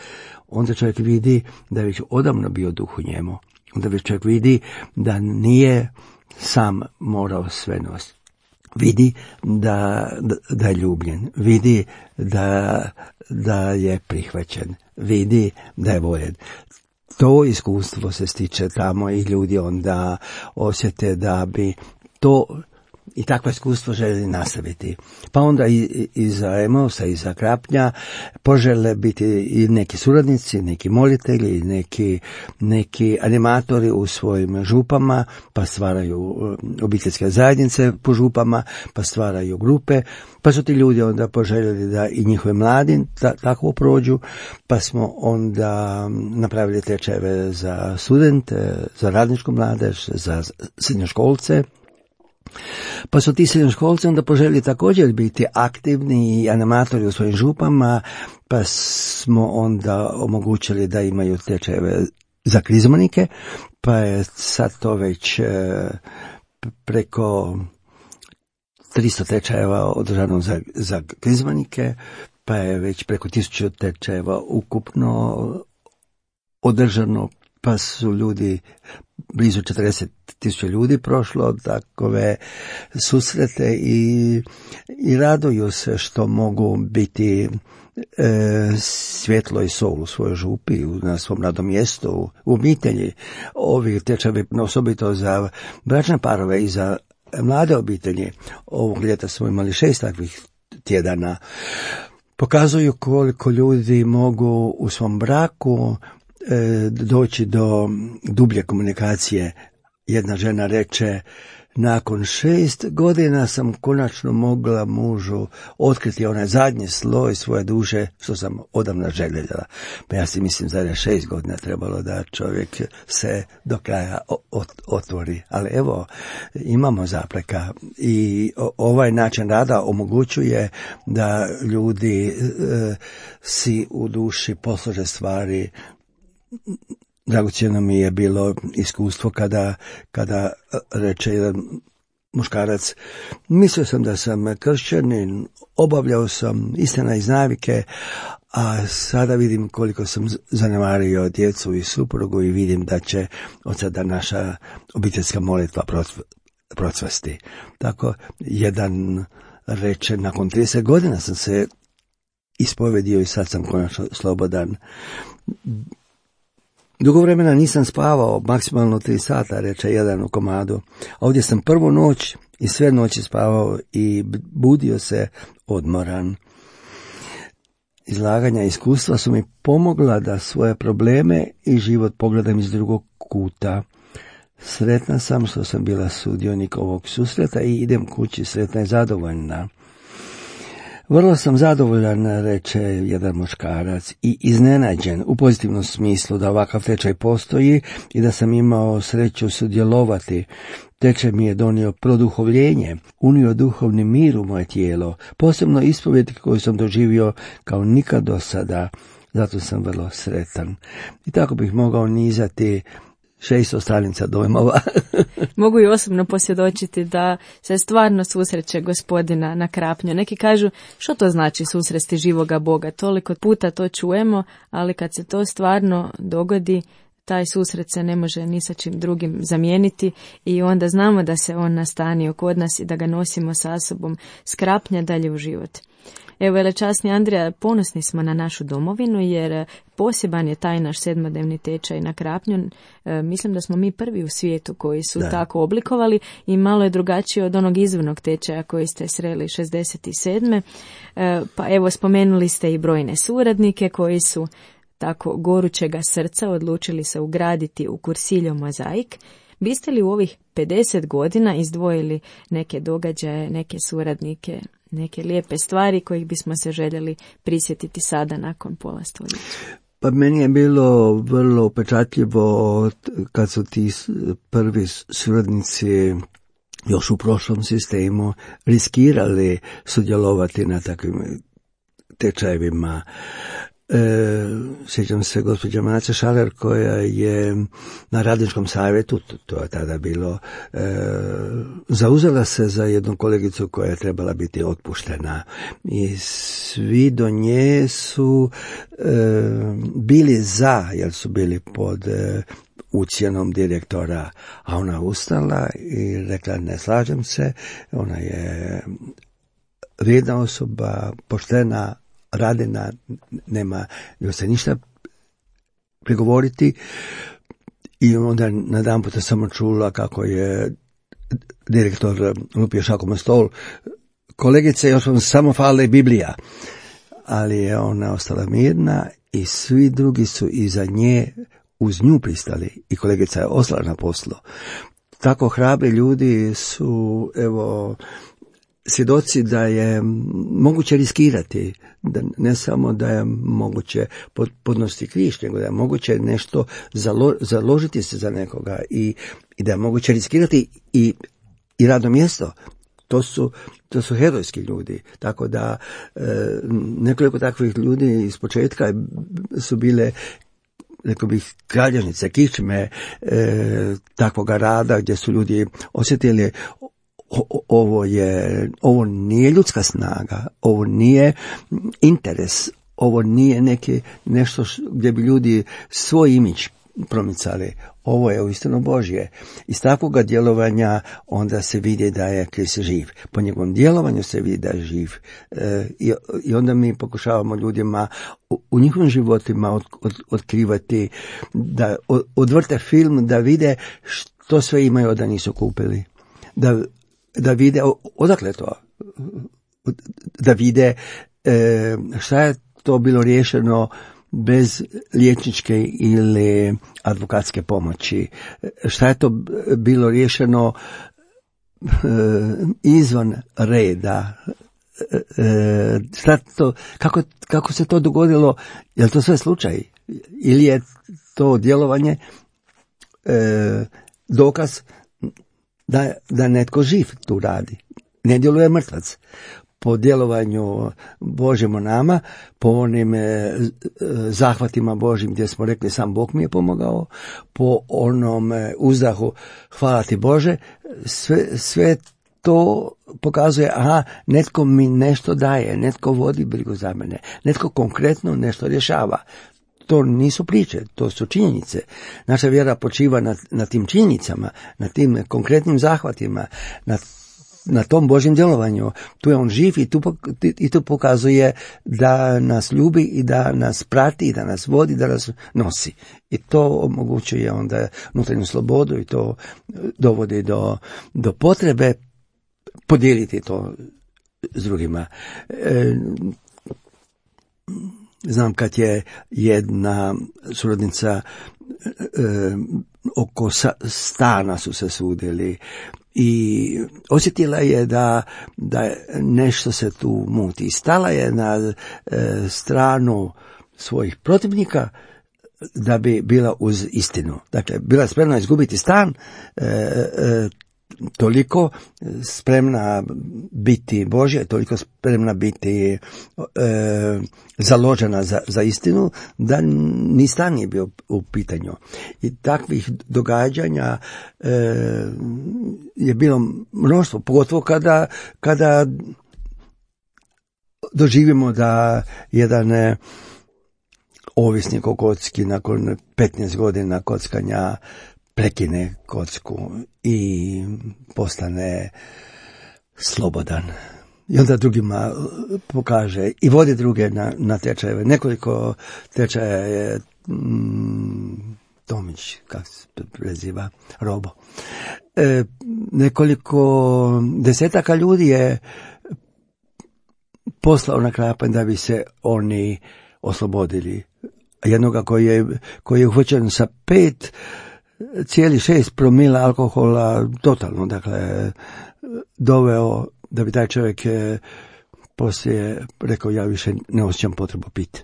onda čovjek vidi da je već odavno bio duh u njemu. Onda već čovjek vidi da nije sam morao sve nositi. Vidi da, da, da je ljubljen, vidi da, da je prihvaćen, vidi da je voljen. To iskustvo se stiče tamo i ljudi onda osjete da bi to i takvo iskustvo želi nastaviti. Pa onda i, i za Emausa i za Krapnja požele biti i neki suradnici, neki molitelji, neki, neki animatori u svojim župama, pa stvaraju obiteljske zajednice po župama, pa stvaraju grupe, pa su ti ljudi onda poželjeli da i njihove mladi ta, tako prođu, pa smo onda napravili tečajeve za studente, za radničku mladež, za srednjoškolce. Pa su ti srednjoškolci onda poželjeli također biti aktivni i animatori u svojim župama, pa smo onda omogućili da imaju tečajeve za krizmanike, pa je sad to već e, preko tristo tečajeva održano za, za krizmanike, pa je već preko tisuću tečajeva ukupno održano, pa su ljudi, blizu četrdeset tisuća ljudi prošlo takove susrete i, i raduju se što mogu biti e, svjetlo i sol u svojoj župi, na svom radnom mjestu, u obitelji. Ovi tečajevi osobito za bračne parove i za mlade obitelji. Ovog ljeta smo imali šest takvih tjedana. Pokazuju koliko ljudi mogu u svom braku doći do dublje komunikacije. Jedna žena reče, nakon šest godina sam konačno mogla mužu otkriti onaj zadnji sloj svoje duše što sam odavno željela. Pa ja si mislim da je šest godina trebalo da čovjek se do kraja otvori. Ali evo, imamo zapreka i ovaj način rada omogućuje da ljudi e, si u duši poslože stvari. Dragocjeno mi je bilo iskustvo kada, kada reče jedan muškarac, mislio sam da sam kršćanin, obavljao sam istina iz navike, a sada vidim koliko sam zanemario djecu i suprugu i vidim da će od sada naša obiteljska molitva procvasti. Tako jedan reče, nakon trideset godina sam se ispovedio i sad sam konačno slobodan. Dugo vremena nisam spavao, maksimalno tri sata, reče jedan u komadu. Ovdje sam prvu noć i sve noći spavao i budio se odmoran. Izlaganja i iskustva su mi pomogla da svoje probleme i život pogledam iz drugog kuta. Sretna sam što sam bila sudionik ovog susreta i idem kući sretna i zadovoljna. Vrlo sam zadovoljan, reče jedan muškarac, i iznenađen u pozitivnom smislu da ovakav tečaj postoji i da sam imao sreću sudjelovati. Tečaj mi je donio produhovljenje, unio duhovni mir u moje tijelo, posebno ispovjed koju sam doživio kao nikad do sada, zato sam vrlo sretan. I tako bih mogao nizati šesto stranica dojmova. Mogu i osobno posvjedočiti da se stvarno susreće Gospodina na Krapnju. Neki kažu, što to znači susresti živoga Boga? Toliko puta to čujemo, ali kad se to stvarno dogodi, taj susret se ne može ni sa čim drugim zamijeniti i onda znamo da se on nastanio kod nas i da ga nosimo sa sobom s Krapnja dalje u život. Evo, velečasni Andrija, ponosni smo na našu domovinu jer poseban je taj naš sedmodnevni tečaj na Krapnju. E, mislim da smo mi prvi u svijetu koji su da. tako oblikovali i malo je drugačije od onog izvornog tečaja koji ste sreli šezdeset sedme. E, pa evo, spomenuli ste i brojne suradnike koji su tako gorućega srca odlučili se ugraditi u Cursillo mozaik. Biste li u ovih pedeset godina izdvojili neke događaje, neke suradnike, neke lijepe stvari kojih bismo se željeli prisjetiti sada nakon pola stoljeća? Pa meni je bilo vrlo upečatljivo kad su ti prvi suradnici još u prošlom sistemu riskirali sudjelovati na takvim tečajevima. E, sjećam se gospođa Maca Šaler koja je na radničkom savjetu, to, to je tada bilo, e, zauzela se za jednu kolegicu koja je trebala biti otpuštena i svi do nje su e, bili za, jer su bili pod e, ucjenom direktora, a ona ustala i rekla ne slažem se, ona je vrijedna osoba, poštena, radina, nema joj se ništa prigovoriti i onda na dan puta samo čula kako je direktor lupio šakom na stol. Kolegice, još vam samo fali Biblija. Ali je ona ostala mirna i svi drugi su iza nje uz nju pristali i kolegica je ostala na poslu. Tako hrabri ljudi su, evo, svjedoci da je moguće riskirati, da ne samo da je moguće podnositi križ, nego da je moguće nešto zalo, založiti se za nekoga i, i da je moguće riskirati i, i radno mjesto. To su, to su herojski ljudi, tako da e, nekoliko takvih ljudi iz početka su bile, rekao bih, kralježnice, kičme e, takvoga rada gdje su ljudi osjetili o, ovo je, ovo nije ljudska snaga, ovo nije interes, ovo nije neki nešto š, gdje bi ljudi svoj imidž promicali. Ovo je uistinu Božje. Iz takvoga djelovanja onda se vidi da je Krist živ. Po njegovom djelovanju se vidi da je živ. E, i, I onda mi pokušavamo ljudima u, u njihovim životima od, od, otkrivati, da od, odvrte film, da vide što sve imaju da nisu kupili. Da, da vide odakle to. Da vide e, šta je to bilo riješeno bez liječničke ili advokatske pomoći. Šta je to bilo riješeno e, izvan reda? E, šta to, kako, kako se to dogodilo? Je li to sve slučaj? Ili je to djelovanje e, dokaz da, da netko živ tu radi? Ne djeluje mrtvac. Po djelovanju Božjem u nama, po onim e, zahvatima Božjim gdje smo rekli sam Bog mi je pomogao, po onom e, uzdahu hvala ti Bože, sve, sve to pokazuje, aha, netko mi nešto daje, netko vodi brigu za mene, netko konkretno nešto rješava. To nisu priče, to su činjenice. Naša vjera počiva na, na tim činjenicama, na tim konkretnim zahvatima, na na tom Božjem djelovanju. Tu je on živ i tu, i tu pokazuje da nas ljubi i da nas prati i da nas vodi, da nas nosi. I to omogućuje onda unutarnju slobodu i to dovodi do, do potrebe podijeliti to s drugima. E, znam kad je jedna suradnica e, oko sa, stana su se sudili i osjetila je da, da nešto se tu muti. Stala je na e, stranu svojih protivnika da bi bila uz istinu. Dakle, bila spremna izgubiti stan, e, e, toliko spremna biti Božja, toliko spremna biti e, založena za, za istinu, da ni stan nije bio u pitanju. I takvih događanja e, je bilo mnoštvo, pogotovo kada, kada doživimo da jedan ovisnik o kocki nakon petnaest godina kockanja prekine kocku i postane slobodan. I onda drugima pokaže i vodi druge na, na tečajeve. Nekoliko tečaja je mm, Tomić, kako se preziva, Robo. E, nekoliko desetaka ljudi je poslao na Krapanj da bi se oni oslobodili. Jednoga koji je, koji je uhvaćen sa pet cijeli šest promila alkohola totalno, dakle, doveo da bi taj čovjek je poslije rekao ja više ne osjećam potrebu piti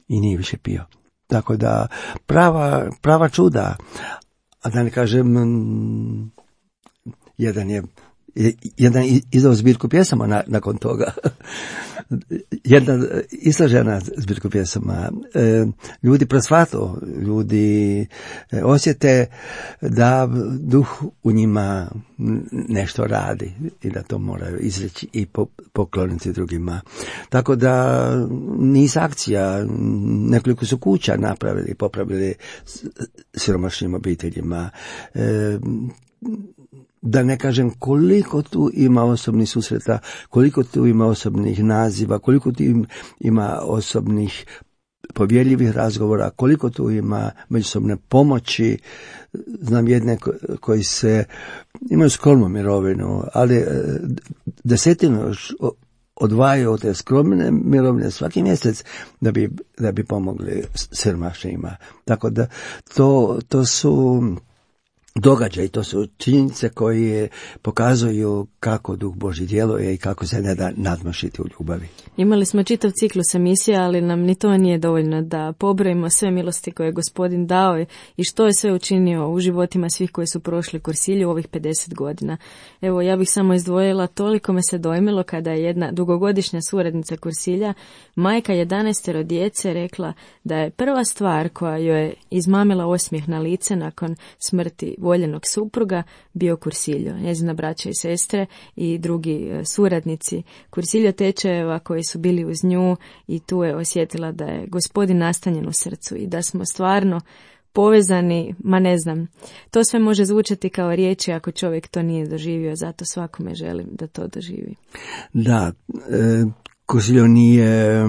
i nije više pio. Tako da prava, prava čuda, a da ne kažem, jedan je jedan izdao zbirku pjesama na, nakon toga. Jedna islažena zbirku pjesama. E, ljudi prosvato, ljudi e, osjete da duh u njima nešto radi i da to moraju izreći i po, pokloniti drugima. Tako da niz akcija, nekoliko su kuća napravili, popravili siromašnim obiteljima. E, Da ne kažem koliko tu ima osobnih susreta, koliko tu ima osobnih naziva, koliko tu ima osobnih povjerljivih razgovora, koliko tu ima međusobne pomoći. Znam jedne koji se imaju skromnu mirovinu, ali desetinu još odvajaju od te skromne mirovine svaki mjesec da bi, da bi pomogli siromašnima. Tako da to, to su događaj, to su činjenice koje pokazuju kako Duh Božji djeluje i kako se ne da nadmašiti u ljubavi. Imali smo čitav ciklus emisija, ali nam ni to nije dovoljno da pobrojimo sve milosti koje je Gospodin dao i što je sve učinio u životima svih koji su prošli Kursilju u ovih pedeset godina. Evo, ja bih samo izdvojila, toliko me se dojmilo kada je jedna dugogodišnja suradnica Kursilja, majka jedanaestero djece, rekla da je prva stvar koja joj je izmamila osmijeh na lice nakon smrti voljenog supruga bio Kursiljo. Njezina braća i sestre i drugi suradnici Kursiljo tečajeva koji su bili uz nju, i tu je osjetila da je Gospodin nastanjen u srcu i da smo stvarno povezani, ma ne znam, to sve može zvučati kao riječi ako čovjek to nije doživio, zato svakome želim da to doživi. Da, e, Kursiljo nije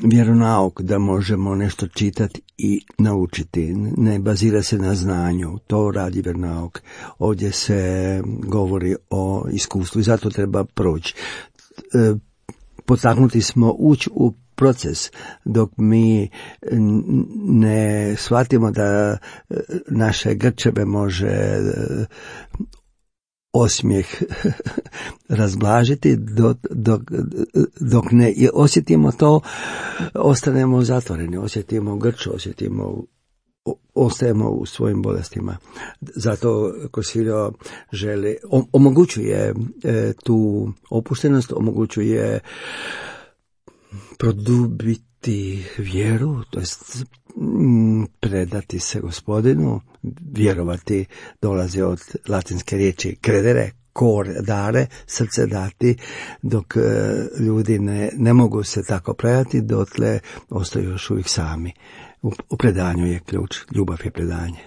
vjeronauk da možemo nešto čitati i naučiti. Ne bazira se na znanju, to radi vjeronauk. Ovdje se govori o iskustvu i zato treba proći. E, potaknuti smo ući u proces dok mi ne shvatimo da naše grčeve može osmijeh razblažiti, dok, dok, dok ne osjetimo to, ostanemo zatvoreni, osjetimo grč, osjetimo, ostajemo u svojim bolestima. Zato Kursiljo želi, omogućuje e, tu opuštenost, omogućuje produbiti vjeru, to jest predati se Gospodinu, vjerovati dolazi od latinske riječi credere, cor dare, srce dati, dok e, ljudi ne, ne mogu se tako predati, dotle ostaju još uvijek sami. U, u predanju je ključ, ljubav je predanje.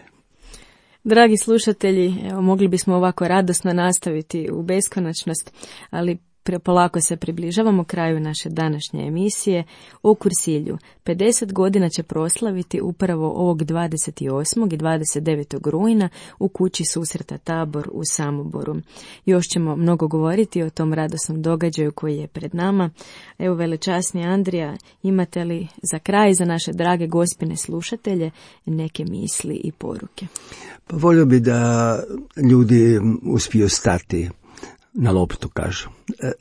Dragi slušatelji, evo, mogli bismo ovako radosno nastaviti u beskonačnost, ali prepolako se približavamo kraju naše današnje emisije o Kursilju. pedeset godina će proslaviti upravo ovog dvadeset osmog i dvadeset devetog rujna u kući susreta Tabor u Samoboru. Još ćemo mnogo govoriti o tom radosnom događaju koji je pred nama. Evo, velečasni Andrija, imate li za kraj za naše drage gospine slušatelje neke misli i poruke? Pa volio bi da ljudi uspiju stati na loptu, kažu,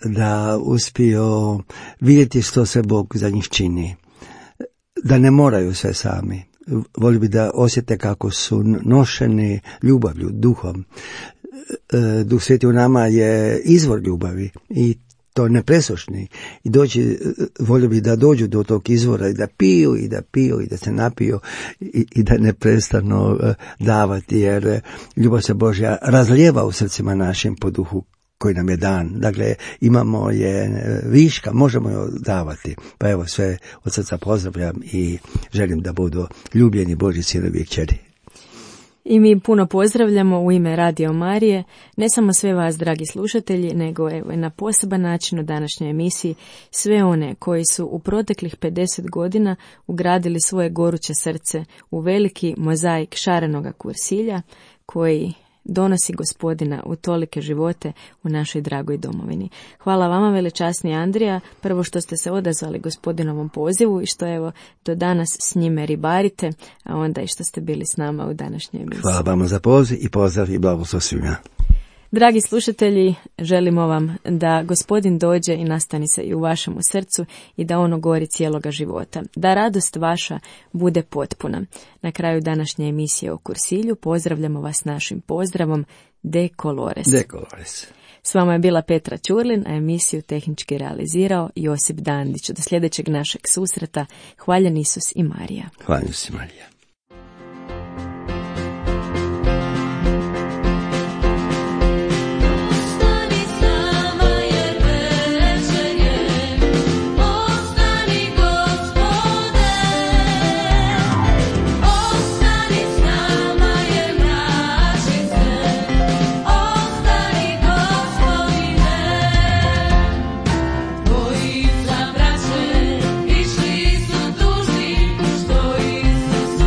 da uspiju vidjeti što se Bog za njih čini, da ne moraju sve sami. Volio bi da osjete kako su nošeni ljubavlju, duhom. Duh Sveti u nama je izvor ljubavi i to nepresušni. I doći, volio bi da dođu do tog izvora i da piju i da piju i da se napiju i, i da ne prestanu davati, jer ljubav se Božja razlijeva u srcima našim po duhu koji nam je dan. Dakle, imamo je viška, možemo je davati. Pa evo, sve od srca pozdravljam i želim da budu ljubljeni Božji sinovi i kćeri. I mi puno pozdravljamo u ime Radio Marije, ne samo sve vas, dragi slušatelji, nego evo na poseban način u današnjoj emisiji sve one koji su u proteklih pedeset godina ugradili svoje goruće srce u veliki mozaik šarenoga kursilja koji donosi Gospodina u tolike živote u našoj dragoj domovini. Hvala vama, velečasni Andrija, prvo što ste se odazvali Gospodinovom pozivu i što evo do danas s njime ribarite, a onda i što ste bili s nama u današnjoj emisiji. Hvala vama za poziv i pozdrav i blagoslov svima. Dragi slušatelji, želimo vam da Gospodin dođe i nastani se i u vašemu srcu i da ono gori cijeloga života. Da radost vaša bude potpuna. Na kraju današnje emisije o kursilju pozdravljamo vas našim pozdravom De Colores. De Colores. S vama je bila Petra Ćurlin, a emisiju tehnički realizirao Josip Dandić. Do sljedećeg našeg susreta. Hvaljen Isus i Marija. Hvaljen Isus i Marija. Išli su dužni, što Isus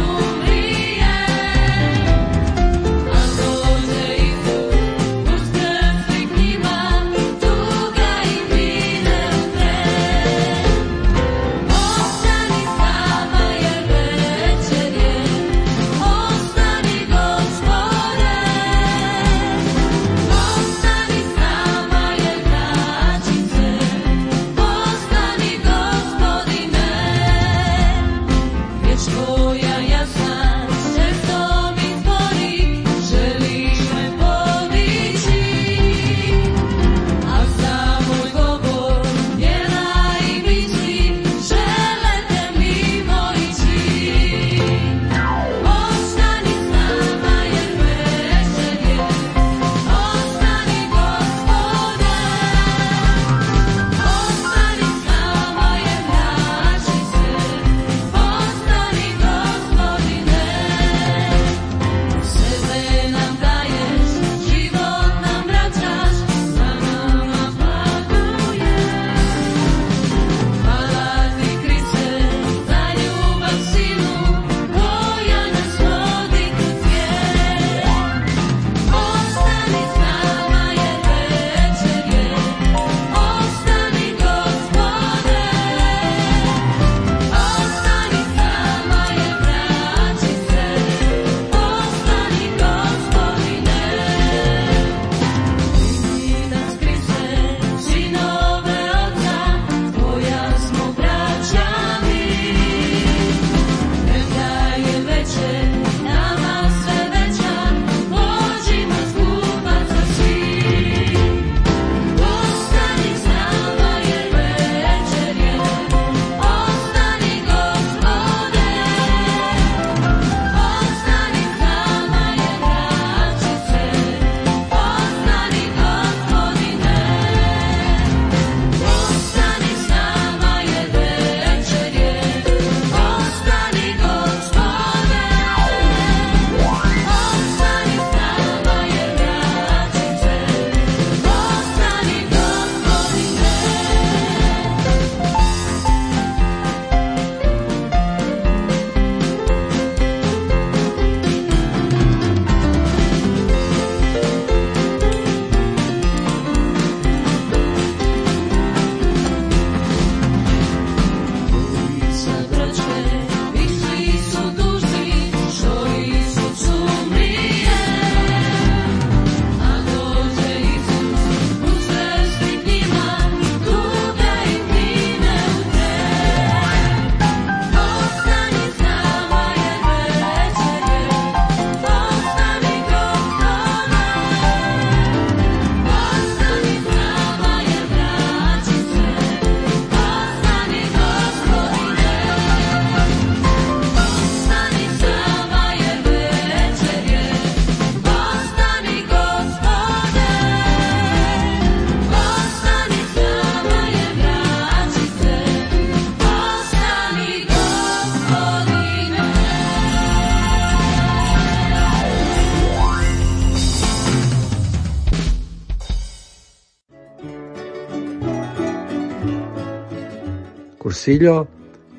Kursiljo,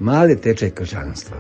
mali tečaj kršćanstva.